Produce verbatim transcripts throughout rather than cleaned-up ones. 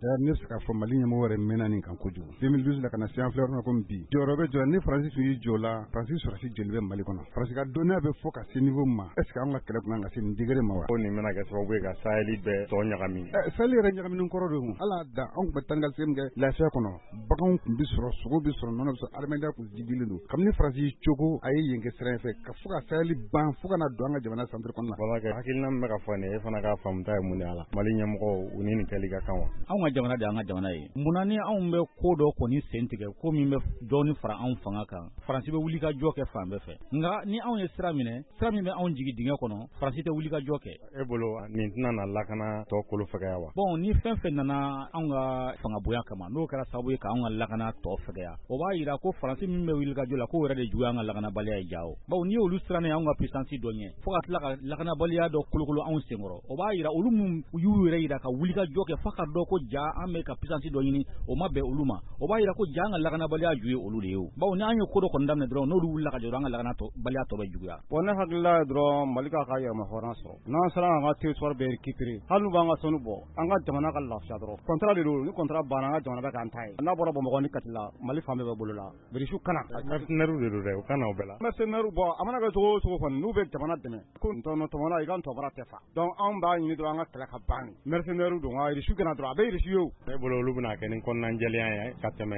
D'ailleurs, ne bɛ se k'a fɔ Mali ɲɛmɔgɔ yɛrɛ mɛnna nin kan kojugu. deux mille douze la ka na se an filɛ yɔrɔ min na komi bi, jɔyɔrɔ bɛ jɔ ni Faransi tun y'i jɔ la. Faransi sɔrɔdasi joli bɛ Mali kɔnɔ? Faransi ka dɔnniya bɛ fɔ ka se niveau min ma, est ce que an ka kɛlɛ tun kan ka se nin degré ma wa? Ko nin bɛna kɛ sababu ye ka Sahel bɛɛ tɔ ɲagami. Ɛ, Sahel yɛrɛ ɲagaminen kɔrɔ don. Ala da anw tun bɛ taa ni ka segin min kɛ lafiya kɔnɔ, baganw tun bɛ sɔrɔ, sogo bɛ sɔrɔ, nɔnɔ bɛ sɔrɔ, adamadenya tun jidilen don. Kabini Faransi y'i cogo a ye yen kɛ sira in fɛ ka fo ka Sahel ban fo ka na don an ka jamana centre kɔnɔna la. Babakɛ, hakilina min bɛ ka fɔ nin ye, e fana ka faamuta ye mun de y'a la? Mali ɲɛmɔgɔw, u ni nin kɛli ka kan wa? Anw ka jamana de y'an ka jamana ye. Munna ni anw bɛ ko dɔ kɔni sen tigɛ, ko min bɛ dɔɔni fara anw fanga kan, Faransi bɛ wuli ka jɔ kɛ fan bɛɛ fɛ? Nka ni anw ye sira minɛ, sira min bɛ anw jigin dingɛ kɔnɔ, Faransi tɛ wuli ka jɔ kɛ. E bolo, nin tɛna na lakana tɔ kolo fɛgɛya wa? Bon, ni fɛn fɛn nana anw ka fanga bonya kama, n'o kɛra sababu ye k'anw ka lakana tɔ fɛgɛya, o b'a yira ko Faransi min bɛ wuli ka jɔ la, k'o yɛrɛ de juguya an ka lakanabaliya ye. Jawo bawo n'i y'olu siran anw ka puissance dɔ ɲɛ fo ka tila ka lakanabaliya dɔ kolokolo anw senkɔrɔ, o b'a yira olu min y'u yɛrɛ yira ka wuli ka jɔ kɛ fo ka dɔn ko ja an bɛ ka puissance dɔ ɲini, o ma bɛn olu ma. O b'a yira ko ja an ka lakanabaliya ju ye olu de ye. O bawo ni an ye ko dɔ kɔni daminɛ dɔrɔn, n'olu wulila ka jɔ, an ka lakanabaliya tɔ bɛ juguya. Bon, ne hakilila ye dɔrɔn, Mali k'a ka yɛrɛma hɔrɔn sɔrɔ. N'an sera k'an ka territoire bɛɛ récupérer, hali n'u b'an ka sanu bɔ, an ka jamana ka lafiya dɔrɔn. Contrat de don. Ni contrat banna, an ka jamana bɛ k'an ta ye. N'a bɔra Bamakɔ ni Kati la, Mali fan bɛɛ bɛ bolo la. Birisiw kana. Mercenaires de don dɛ, u kana o bɛɛ la. Mercenaires, bɔ a mana kɛ cogo o cogo kɔni, n'u bɛ jamana dɛmɛ ko ntɔnɔ tɔmɔla, i ka ntɔbara tɛ fa. Donc anw b'a ɲini dɔrɔn, an ka kɛlɛ ka ban. Mercenaires don, nka Irisiw kana dɔrɔn, a bɛ Irisi ye o. E bolo, olu bɛna kɛ ni kɔnɔnajɛlenya ye ka tɛmɛ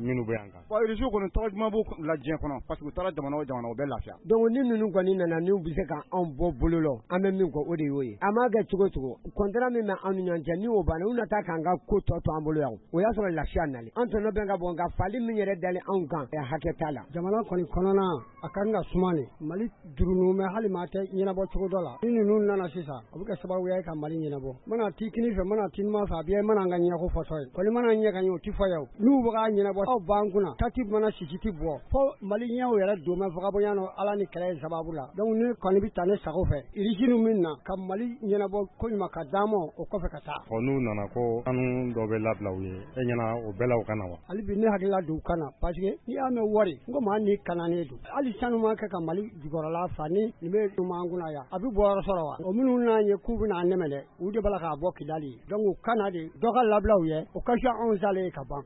minnu bɛ yan kan? Bon, Irisiw kɔni, tɔgɔ duman b'u la diɲɛ kɔnɔ, parce que u taara jamana o jamana, u bɛ lafiya. Donc ni ninnu kɔni nana, n'u bɛ se ka anw bɔ bolo la, an bɛ min kɔ, o de y'o ye. A m'a kɛ cogo cogo, contrat min bɛ anw ni ɲɔgɔn cɛ, ni o banna, u na taa k'an ka ko tɔ to an bolo yan, o y'a sɔrɔ lafiya nalen. An tɔnɔ bɛ ka bɔ, nka fali min yɛrɛ dalen anw kan, hakɛ t'a la. Jamana kɔni kɔnɔna a kan ka suma de. Mali jurunu mɛ, hali maa tɛ ɲɛnabɔ cogo dɔ la. Ni ninnu nana sisan, a bɛ kɛ sababu ye ka Mali ɲɛnabɔ. Mana t'i kini fɛ, mana t'i numan fɛ, a bɛ mana an ka ɲɛko fɔtɔ ye kɔni, mana ɲɛ ka ɲɛ, o ti fɔ yan. N'u bɛ k'a ɲɛnabɔ, aw b'an kunna tati mana sisi ti bɔ fo Mali ɲɛw yɛrɛ don mɛ fagabonya nɔ Ala ni kɛlɛ ye sababu la. Donc ne kɔni bɛ taa ne sago fɛ, Irisi min na ka Mali ɲɛnabɔ ko ɲuman ka d'an ma, o kɔfɛ ka taa. Ɔ, n'u nana ko sanu dɔ bɛ labila u ye, e ɲɛna o bɛɛ la, u ka na wa? Hali bi ne hakilila don u ka na, parce que n'i y'a mɛn wari n ko maa ni kananen don, hali sanu ma kɛ ka Mali jukɔrɔla fa ni nin bɛ an kunna yan, a bɛ bɔ yɔrɔ sɔrɔ wa? O minnu n'an ye k'u bɛna an dɛmɛ dɛ, u de b'a la k'a bɔ Kidali. Donc u ka na de, dɔ ka labila u ye, o ka fisa anw salen ye ka ban.